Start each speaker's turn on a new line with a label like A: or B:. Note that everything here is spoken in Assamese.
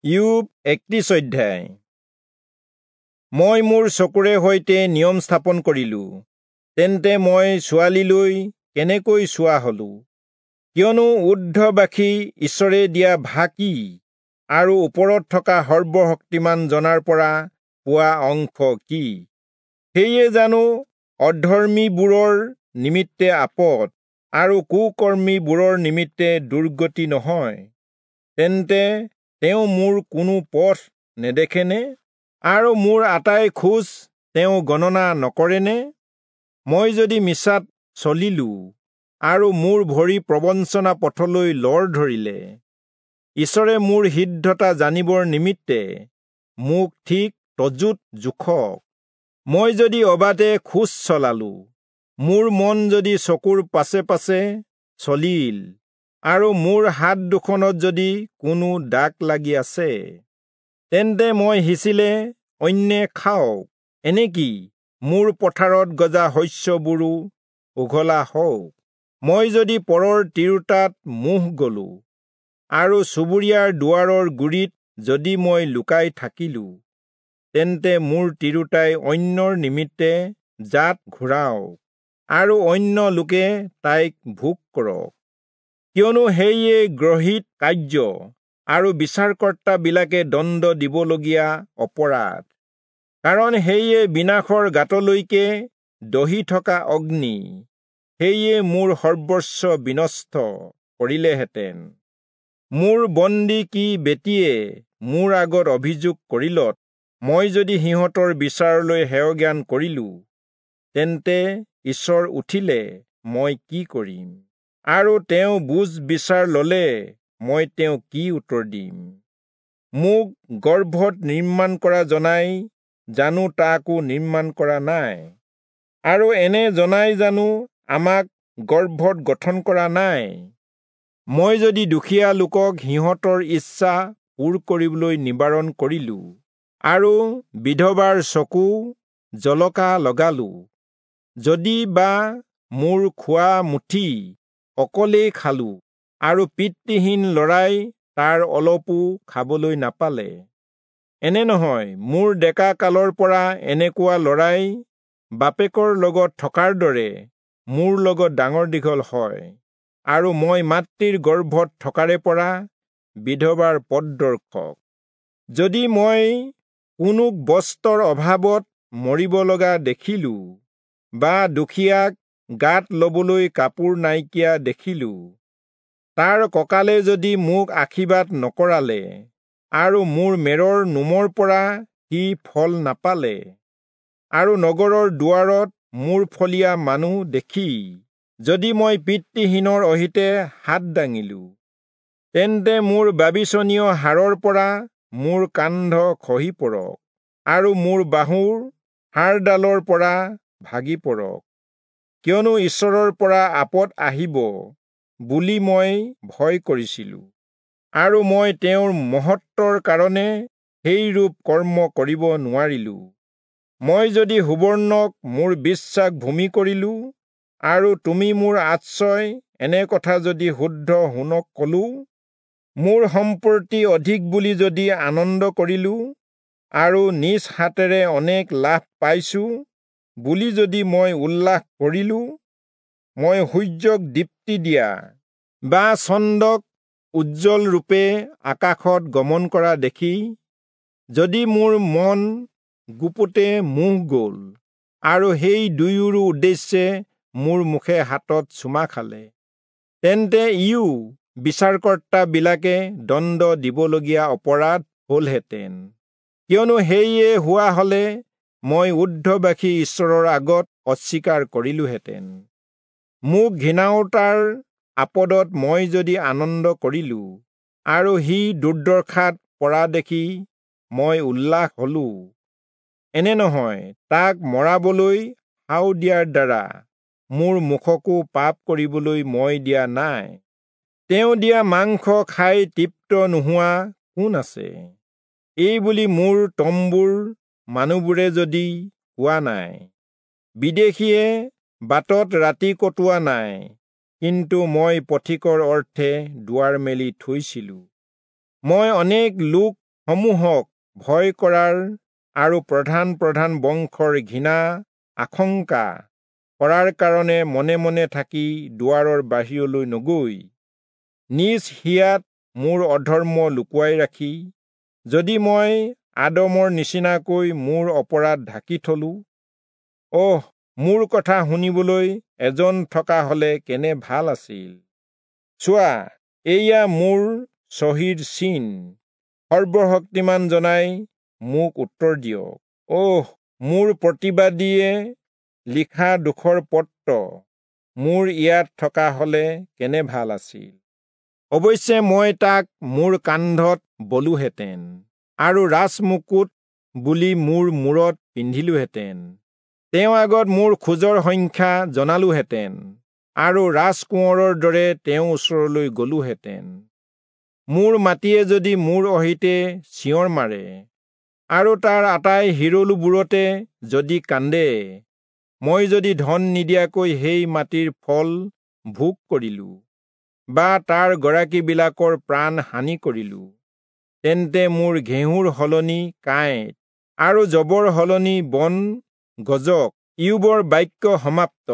A: ইয়োব 31 অধ্যায়। মই মোৰ চকুৰে সৈতে নিয়ম স্থাপন কৰিলো, তেন্তে মই ছোৱালীলৈ কেনেকৈ চোৱা হলো? কিয়নো ঊৰ্ধ্ববাসী ঈশ্বৰে দিয়া ভাগ কি, আৰু ওপৰত থকা সৰ্বশক্তিমান জনাৰ পৰা পোৱা অংশ কি? সেয়ে জানো অধৰ্মীবোৰৰ নিমিত্তে আপদ, আৰু কুকৰ্মীবোৰৰ নিমিত্তে দুৰ্গতি নহয়? তেন্তে তেওঁ মোৰ কোনো পথ নেদেখেনে, আৰু মোৰ আটাই খোজ তেওঁ গণনা নকৰেনে? মই যদি মিছাত চলিলো, আৰু মোৰ ভৰি প্ৰবঞ্চনা পথলৈ লৰ ধৰিলে, ঈশ্বৰে মোৰ সিদ্ধতা জানিবৰ নিমিত্তে মোক ঠিক তজুত জোখক। মই যদি অবাধে খোজ চলালো, মোৰ মন যদি চকুৰ পাছে পাছে চলিল, আৰু মোৰ হাত দুখনত যদি কোনো দাগ লাগি আছে, তেন্তে মই সিঁচিলে অন্যে খাওক, এনেকি মোৰ পথাৰত গজা শস্যবোৰো উঘলা হওক। মই যদি পৰৰ তিৰোতাত মোহ গলো, আৰু চুবুৰীয়াৰ দুৱাৰৰ গুৰিত যদি মই লুকাই থাকিলো, তেন্তে মোৰ তিৰোতাই অন্যৰ নিমিত্তে জাত ঘূৰাওক, আৰু অন্য লোকে তাইক ভোগ কৰক। কিয়নো সেয়ে গ্ৰহিত কাৰ্য, আৰু বিচাৰকৰ্তাবিলাকে দণ্ড দিবলগীয়া অপৰাধ। কাৰণ সেয়ে বিনাশৰ গাঁতলৈকে দহি থকা অগ্নি, সেয়ে মোৰ সৰ্বস্ব বিনষ্ট কৰিলেহেঁতেন। মোৰ বন্দী কি বেটীয়ে মোৰ আগত অভিযোগ কৰিলত, মই যদি সিহঁতৰ বিচাৰলৈ হেয়জ্ঞান কৰিলো, তেন্তে ঈশ্বৰ উঠিলে মই কি কৰিম? আৰু তেওঁ বুজ বিচাৰ ললে মই তেওঁক কি উত্তৰ দিম? মোক গৰ্ভত নিৰ্মাণ কৰা জনাই জানো তাকো নিৰ্মাণ কৰা নাই? আৰু এনে জনাই জানো আমাক গৰ্ভত গঠন কৰা নাই? মই যদি দুখীয়া লোকক সিহঁতৰ ইচ্ছা পূৰ কৰিবলৈ নিবাৰণ কৰিলো, আৰু বিধৱাৰ চকু জলকা লগালো, যদি বা মোৰ খোৱা মুঠি অকলেই খালো, আৰু পিতৃহীন লৰাই তাৰ অলপো খাবলৈ নাপালে, এনে নহয়, মোৰ ডেকা কালৰ পৰা এনেকুৱা লৰাই বাপেকৰ লগত থকাৰ দৰে মোৰ লগত ডাঙৰ দীঘল হয়, আৰু মই মাতৃৰ গৰ্ভত থকাৰে পৰা বিধৱাৰ পথদৰ্শক। যদি মই কোনোক বস্ত্ৰৰ অভাৱত মৰিব লগা দেখিলো, বা দুখীয়াক গাত লবলৈ কাপোৰ নাইকিয়া দেখিলো, তাৰ কঁকালে যদি মোক আশীৰ্বাদ নকৰালে, আৰু মোৰ মেৰৰ নোমৰ পৰা সি ফল নাপালে, আৰু নগৰৰ দুৱাৰত মোৰ ফলীয়া মানুহ দেখি যদি মই পিতৃহীনৰ অহিতে হাত দাঙিলো, তেন্তে মোৰ বাবিচনীয় হাড়ৰ পৰা মোৰ কান্ধ খহি পৰক, আৰু মোৰ বাহুৰ হাড়ডালৰ পৰা ভাগি পৰক। কিয়নো ঈশ্বৰৰ পৰা আপদ আহিব বুলি মই ভয় কৰিছিলো, আৰু মই তেওঁৰ মহত্বৰ কাৰণে সেইৰূপ কৰ্ম কৰিব নোৱাৰিলো। মই যদি সুবৰ্ণক মোৰ বিশ্বাস ভূমি কৰিলো, আৰু তুমি মোৰ আশ্ৰয়, এনে কথা যদি শুদ্ধ সোণক কলো, মোৰ সম্পত্তি অধিক বুলি যদি আনন্দ কৰিলো, আৰু নিজ হাতেৰে অনেক লাভ পাইছো বুলি যদি মই উল্লাস কৰিলো, মই সূৰ্যক দীপ্তি দিয়া বা চন্দ্ৰক উজ্জ্বল ৰূপে আকাশত গমন কৰা দেখি যদি মোৰ মন গুপুতে মোহ গল, আৰু সেই দুয়োৰো উদ্দেশ্যে মোৰ মুখে হাতত চুমা খালে, তেন্তে ইও বিচাৰকৰ্তাবিলাকে দণ্ড দিবলগীয়া অপৰাধ হলহেঁতেন। কিয়নো সেয়ে হোৱা হলে মই ঊৰ্ধ্ববাসী ঈশ্বৰৰ আগত অস্বীকাৰ কৰিলোহেঁতেন। মোক ঘৃণাওতাৰ আপদত মই যদি আনন্দ কৰিলো, আৰু সি দুৰ্দশাত পৰা দেখি মই উল্লাস হলো, এনে নহয়, তাক মৰাবলৈ শাও দিয়াৰ দ্বাৰা মোৰ মুখকো পাপ কৰিবলৈ মই দিয়া নাই। তেওঁ দিয়া মাংস খাই তৃপ্ত নোহোৱা কোন আছে? এই বুলি মোৰ তম্বুৰ মানুহবোৰে যদি কোৱা নাই, বিদেশীয়ে বাটত ৰাতি কটোৱা নাই, কিন্তু মই পথিকৰ অৰ্থে দুৱাৰ মেলি থৈছিলো। মই অনেক লোক সমূহক ভয় কৰাৰ আৰু প্ৰধান প্ৰধান বংশৰ ঘৃণা আশংকা কৰাৰ কাৰণে মনে মনে থাকি দুৱাৰৰ বাহিৰলৈ নগৈ নিজ হিয়াত মোৰ অধৰ্ম লুকুৱাই ৰাখি যদি মই আদমৰ নিচিনাকৈ মোৰ অপৰাধ ঢাকি থলো, অহ, মোৰ কথা শুনিবলৈ এজন থকা হলে কেনে ভাল আছিল। চোৱা, এয়া মোৰ চহীৰ চিন, সৰ্বশক্তিমান জনাই মোক উত্তৰ দিয়ক। অহ, মোৰ প্ৰতিবাদীয়ে লিখা দুখৰ পত্ৰ মোৰ ইয়াত থকা হলে কেনে ভাল আছিল। অৱশ্যে মই তাক মোৰ কান্ধত বলোহেঁতেন আৰু ৰাজমুকুট বুলি মোৰ মূৰত পিন্ধিলোহেঁতেন। তেওঁ আগত মোৰ খোজৰ সংখ্যা জনালোহেঁতেন আৰু ৰাজকোঁৱৰৰ দৰে তেওঁৰ ওচৰলৈ গলোহেঁতেন। মোৰ মাটিয়ে যদি মোৰ অহিতে চিঞৰ মাৰে আৰু তাৰ আটাই হিৰলুবোৰতে যদি কান্দে, মই যদি ধন নিদিয়াকৈ সেই মাটিৰ ফল ভোগ কৰিলো বা তাৰ গৰাকীবিলাকৰ প্ৰাণ হানি কৰিলো, তেন্তে মোৰ ঘেঁহুৰ সলনি কাঁইট আৰু জবৰ সলনি বন গজক। ইয়োবৰ বাক্য সমাপ্ত।